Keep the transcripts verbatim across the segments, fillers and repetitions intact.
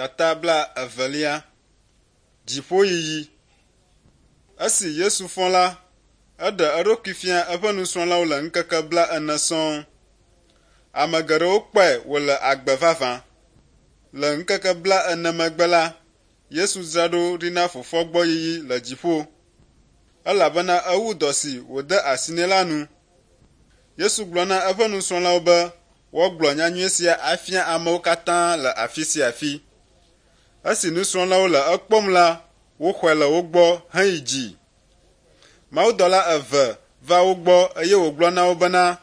Tata bla evelia. Dziƒoyiyi. Esi Yesu fɔ la, eɖe eɖokui fia eƒe nusrɔ̃lawo le ŋkeke bla ene sɔŋ. Ame geɖewo kpɔe wòle agbe vavã. Le ŋkeke bla ene megbe la, Yesu dzra ɖo ɖi na fofoa gbɔ yiyi le dziƒo elabena ewu dɔ si wòde asi nɛ la nu. Yesu gblɔ na eƒe nusrɔ̃lawo be woagblɔ nyanyui sia afia amewo katã le afi sia afi. Esi nusrɔ̃lawo le ekpɔm la, woxɔe le wo gbɔ heyi dzi. Mawudɔla eve va wo gbɔ eye wògblɔ na wo bena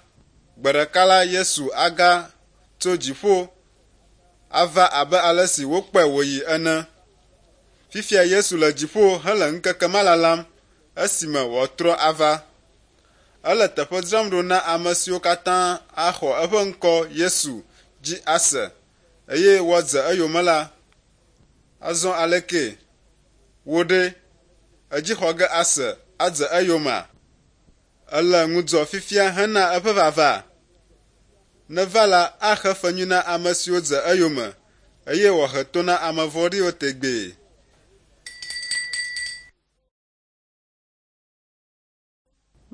gbe ɖeka la Yesu aga tso dziƒo ava abe ale si wokpɔe wòyi ene. Fifia Yesu le dziƒo hele ŋkeke ma lalam esime wòatrɔ ava. Ele teƒe dzram ɖo na ame siwo katã axɔ eƒe ŋkɔ Yesu dzi ase eye woadze eyome la. Azɔ aleke? Wò ɖe, èdzi xɔ ge ase adze eyomea? Èle ŋudzɔ fifia hena eƒe vava? Neva la, axe fe nyui na ame siwo dze eyome eye wòahe to na ame vɔ̃ɖiwo tegbee.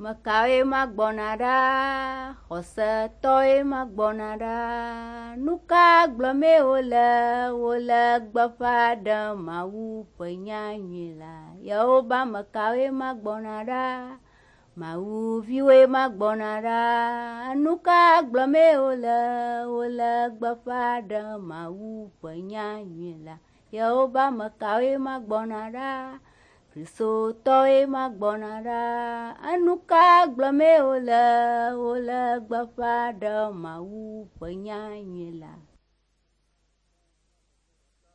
Mekawoe magbɔna ɖa? Xɔsetɔwoe magbɔna ɖa. Nu ka gblɔmee wole? Wole gbeƒã ɖem Mawu ƒe nyanyui la. Yewo be ame kawoe magbɔna ɖa? Mawuviwoe magbɔna ɖa. Nu ka gblɔmee wole? Wole gbeƒã ɖem Mawu ƒe nyanyui la. Yewo be ame kawoe magbɔna ɖa? Kristotɔwoe magbɔna ɖa. Enu ka gblɔmee wole? Wole gbeƒã ɖem Mawu ƒe nyanyui la.